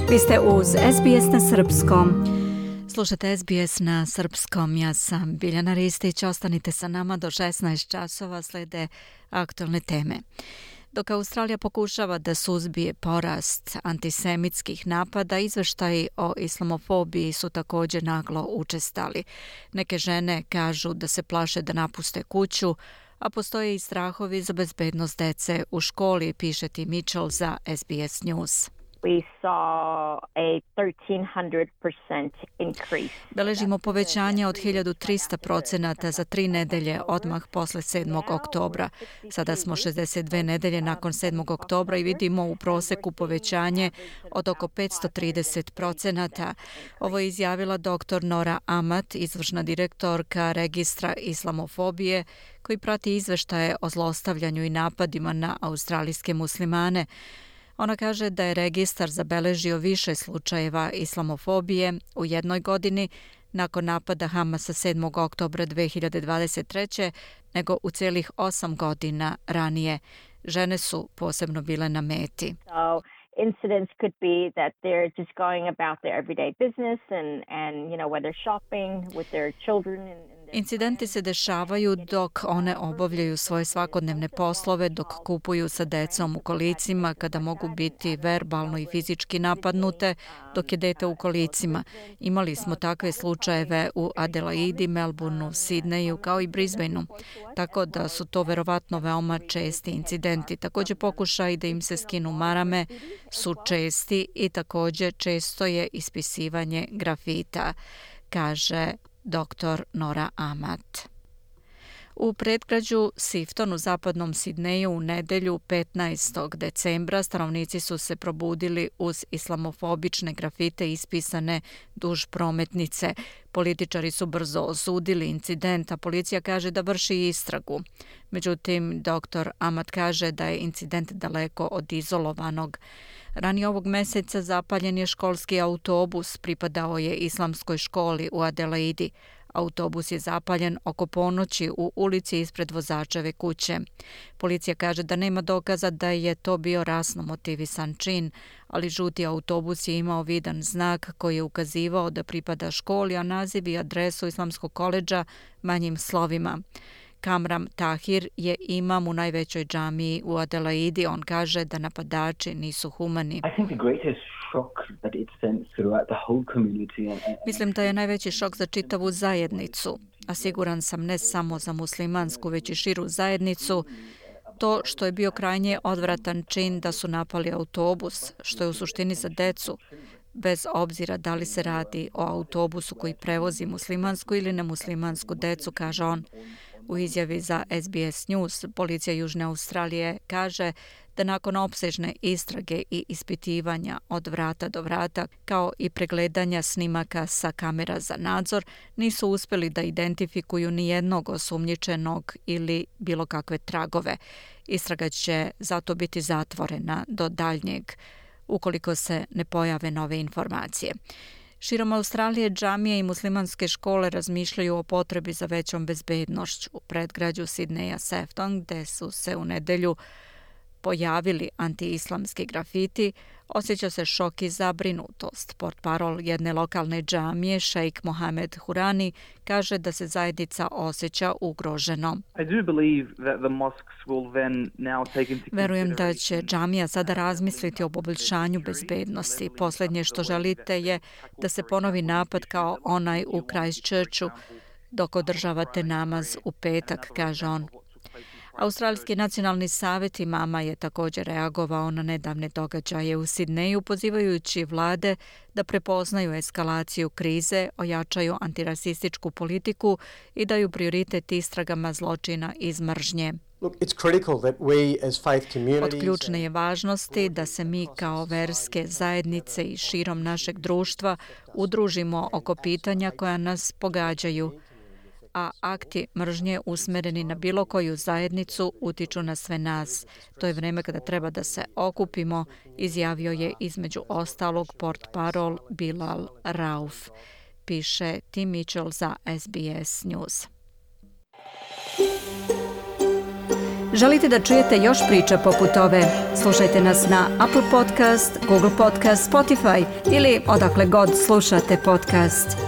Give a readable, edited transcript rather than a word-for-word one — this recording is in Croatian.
Vi ste uz SBS na srpskom. Slušate SBS na srpskom. Ja sam Biljana Ristić. Ostanite sa nama do 16 časova, slede aktualne teme. Dok Australija pokušava da suzbije porast antisemitskih napada, izveštaji o islamofobiji su također naglo učestali. Neke žene kažu da se plaše da napuste kuću, a postoje i strahovi za bezbednost dece u školi, piše Tim Mitchell za SBS News. We saw a 1,300% increase. Beležimo povećanje od 1300% za 3 nedelje odmah posle 7. oktobra. Sada smo 62 nedelje nakon 7. oktobra i vidimo u proseku povećanje od oko 530%. Ovo je izjavila dr. Nora Amat, izvršna direktorka Registra islamofobije, koji prati izveštaje o zlostavljanju i napadima na australijske muslimane. Ona kaže da je registar zabeležio više slučajeva islamofobije u jednoj godini nakon napada Hamasa 7. oktobra 2023. nego u celih 8 godina ranije. Žene su posebno bile na meti. Incidents could be that they're just going about their everyday business and when they're shopping with their children. Incidenti se dešavaju dok one obavljaju svoje svakodnevne poslove, dok kupuju sa decom u kolicima, kada mogu biti verbalno i fizički napadnute, dok je dete u kolicima. Imali smo takve slučajeve u Adelaidi, Melbourneu, Sidneju kao i Brisbaneu, tako da su to verovatno veoma česti incidenti. Također pokušaj da im se skinu marame su česti i također često je ispisivanje grafita, kaže dr. Nora Amat. U predgrađu Sifton u zapadnom Sidneju u nedelju 15. decembra stanovnici su se probudili uz islamofobične grafite ispisane duž prometnice. Političari su brzo osudili incident, a policija kaže da vrši istragu. Međutim, dr. Amat kaže da je incident daleko od izolovanog. Ranije ovog meseca zapaljen je školski autobus, pripadao je islamskoj školi u Adelaidi. Autobus je zapaljen oko ponoći u ulici ispred vozačeve kuće. Policija kaže da nema dokaza da je to bio rasno motivisan čin, ali žuti autobus je imao vidan znak koji je ukazivao da pripada školi, a naziv i adresu islamskog koledža manjim slovima. Kamram Tahir je imam u najvećoj džamiji u Adelaidi. On kaže da napadači nisu humani. Mislim da je najveći šok za čitavu zajednicu, a siguran sam ne samo za muslimansku, već i širu zajednicu, to što je bio krajnje odvratan čin da su napali autobus, što je u suštini za decu, bez obzira da li se radi o autobusu koji prevozi muslimansku ili nemuslimansku decu, kaže on. U izjavi za SBS News, policija Južne Australije kaže da nakon opsežne istrage i ispitivanja od vrata do vrata, kao i pregledanja snimaka sa kamera za nadzor, nisu uspjeli da identifikuju ni jednog osumnjičenog ili bilo kakve tragove. Istraga će zato biti zatvorena do daljnjeg, ukoliko se ne pojave nove informacije. Širom Australije džamije i muslimanske škole razmišljaju o potrebi za većom bezbednošću. U predgrađu Sidneja Sefton, gde su se u nedelju pojavili antiislamski grafiti, osjeća se šok i zabrinutost. Portparol jedne lokalne džamije, šejk Mohamed Hurani, kaže da se zajednica osjeća ugroženo. Verujem da će džamija sada razmisliti o poboljšanju bezbednosti. Posljednje što želite je da se ponovi napad kao onaj u Christchurchu dok održavate namaz u petak, kaže on. Australijski nacionalni savjet imama je također reagovao na nedavne događaje u Sidneju, pozivajući vlade da prepoznaju eskalaciju krize, ojačaju antirasističku politiku i daju prioritet istragama zločina iz mržnje. Od ključne je važnosti da se mi kao verske zajednice i širom našeg društva udružimo oko pitanja koja nas pogađaju, a akti mržnje usmereni na bilo koju zajednicu utiču na sve nas. To je vrijeme kada treba da se okupimo, izjavio je između ostalog portparol Bilal Rauf, piše Tim Mitchell za SBS News. Želite da čujete još priča poput ove? Slušajte nas na Apple Podcast, Google Podcast, Spotify ili odakle god slušate podcast.